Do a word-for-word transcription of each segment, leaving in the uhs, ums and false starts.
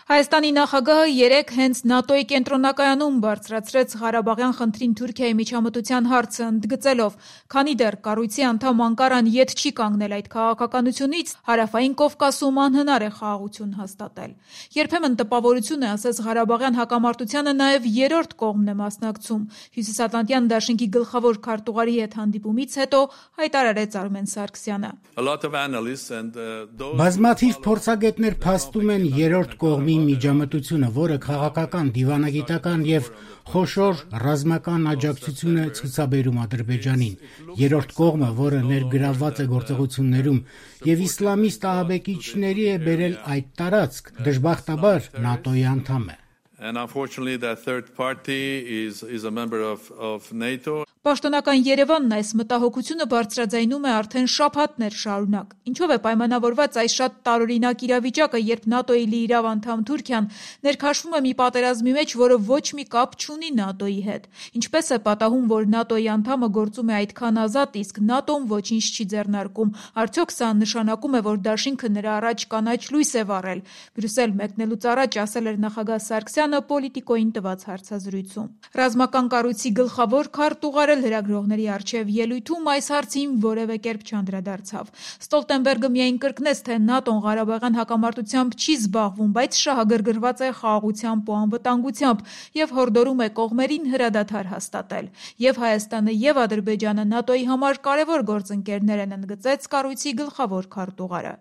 Հայաստանի նախագահը երեկ հենց ՆԱՏՕ-ի կենտրոնակայանում բարձրացրեց Ղարաբաղյան խնդրին Թուրքիայի միջամտության հարցը, ընդգծելով, քանի դեռ կառույցի անդամ Անկարան ետ չի կանգնել այդ քաղաքականությունից, Հարավային Կովկասում անհնար է խաղաղություն հաստատել։ Երբեմն տպավորություն է, ասես Ղարաբաղյան հակամարտությանը նաև երրորդ կողմն է մասնակցում, Հյուսիսատլանտյան դաշինքի գլխավոր քարտուղարի հետ հանդիպումից հետո հայտարարեց Արմեն Սարգսյանը։ Բազմաթիվ փորձագետներ փաստում են երրորդ կողմի միջամտությունը, որը քաղաքական, դիվանագիտական եւ խոշոր ռազմական աջակցություն է ցուցաբերում Ադրբեջանին։ Երրորդ կողմը, որը ներգրավված է գործողություններում եւ իսլամիստ ահաբեկիչների է բերել այդ տարածք, դժբախտաբար ՆԱՏՕ-ի անդամ է։ And unfortunately that third party is is a member of of NATO. Պաշտոնական Երևանն այս մտահոգությունը բարձրաձայնում է արդեն շաբաթներ շարունակ։ Ինչով է պայմանավորված այս շատ տարօրինակ իրավիճակը, երբ ՆԱՏՕ-ի լիիրավ անդամ Թուրքիան ներքաշվում է մի պատերազմի մեջ, որը ոչ մի կապ չունի ՆԱՏՕ-ի հետ։ Ինչպես է պատահում, որ ՆԱՏՕ-ի անդամը գործում է այդքան ազատ, իսկ ՆԱՏՕ-ն ոչինչ չի ձեռնարկում։ Արդյոք սա նշանակում է, որ դաշինքը նրա առաջ կանաչ լույս է վառել։ Բրյուսել մեկնելուց առաջ ասել էր նախագահ Սարգսյանը Պոլիտիկոյին տված հարցազրույցում։ Ռազմական կառույցի գլխավոր քարտուղարը լրագրողների առջև ելույթում այս հարցին որևէ կերպ չանդրադարձավ։ Ստոլտենբերգը միայն կրկնեց, թե ՆԱՏՕ-ն Ղարաբաղյան հակամարտությամբ չի զբաղվում, բայց շահագրգռված է խաղաղությամբ ու անվտանգությամբ եւ հորդորում է կողմերին հրադադար հաստատել։ Եվ Հայաստանը եւ Ադրբեջանը ՆԱՏՕ-ի համար կարևոր գործընկերներ են, ընդգծեց կառույցի գլխավոր քարտուղարը։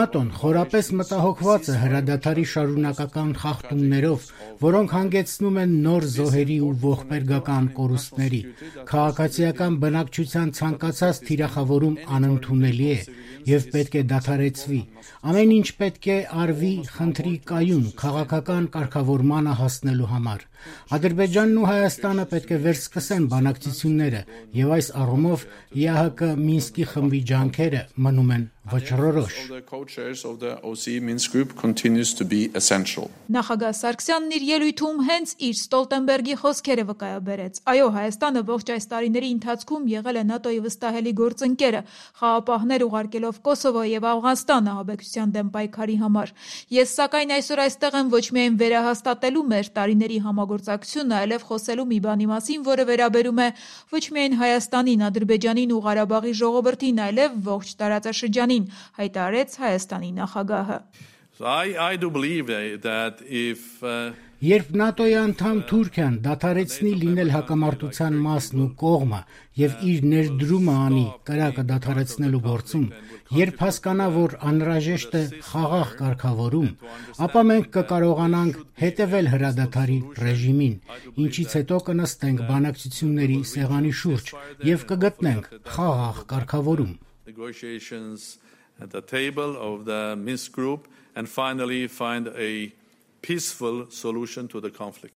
ՆԱՏՕ-ն խորապես մտահոգված է հրադադարի շարունակական խախտումներով, որոնք հանգեցնում են նոր զոհերի ու ողբերգական կորուստների։ Քաղաքացիական բնակչության ցանկացած թիրախավորում անընդունելի է եւ պետք է դադարեցվի։ Ամեն ինչ պետք է արվի խնդրի կայուն քաղաքական կարգավորմանը հասնելու համար։ Ադրբեջանն ու Հայաստանը պետք է վերսկսեն բանակցությունները եւ այս առումով ԵԱՀԿ Մինսկի խմբի ջանքերը մնում են վճռորոշ։ Նախագահ Սարգսյանն իր ելույթում հենց իր Ստոլտենբերգի խոսքերը վկայաբերեց։ Այո, Հայաստանը ողջ այս տարիների ընթացքում եղել է ՆԱՏՕ-ի վստահելի գործընկերը, խաղապահներ ուղարկելով Կոսովո եւ Աֆղանստան ահաբեկչության դեմ պայքարի համար։ Ես սակայն այսօր այստեղ եմ ոչ միայն վերահաստատելու մեր տարիների համագործակցությունը, այլև խոսելու մի բանի մասին, որը վերաբերում է ոչ միայն Հայաստանին, Ադրբեջանին ու Ղարաբաղի ժողովրդին, այլև ողջ տարածաշրջանին, հայտարարեց Հայաստանի նախագահը։ I I do believe that if uh... Երբ ՆԱՏՕ-ի անդամ Թուրքիան դադարեցնի լինել հակամարտության մասն ու կողմը եւ իր ներդրումը անի կրակը դադարեցնելու գործում, երբ հասկանա, որ անհրաժեշտ է խաղաղ կարգավորում, ապա մենք կկարողանանք հետևել հրադադարի ռեժիմին, ինչից հետո կնստենք բանակցությունների սեղանի շուրջ եւ կգտնենք խաղաղ կարգավորում։ Negotiations at the table of the Minsk group and finally find a peaceful solution to the conflict.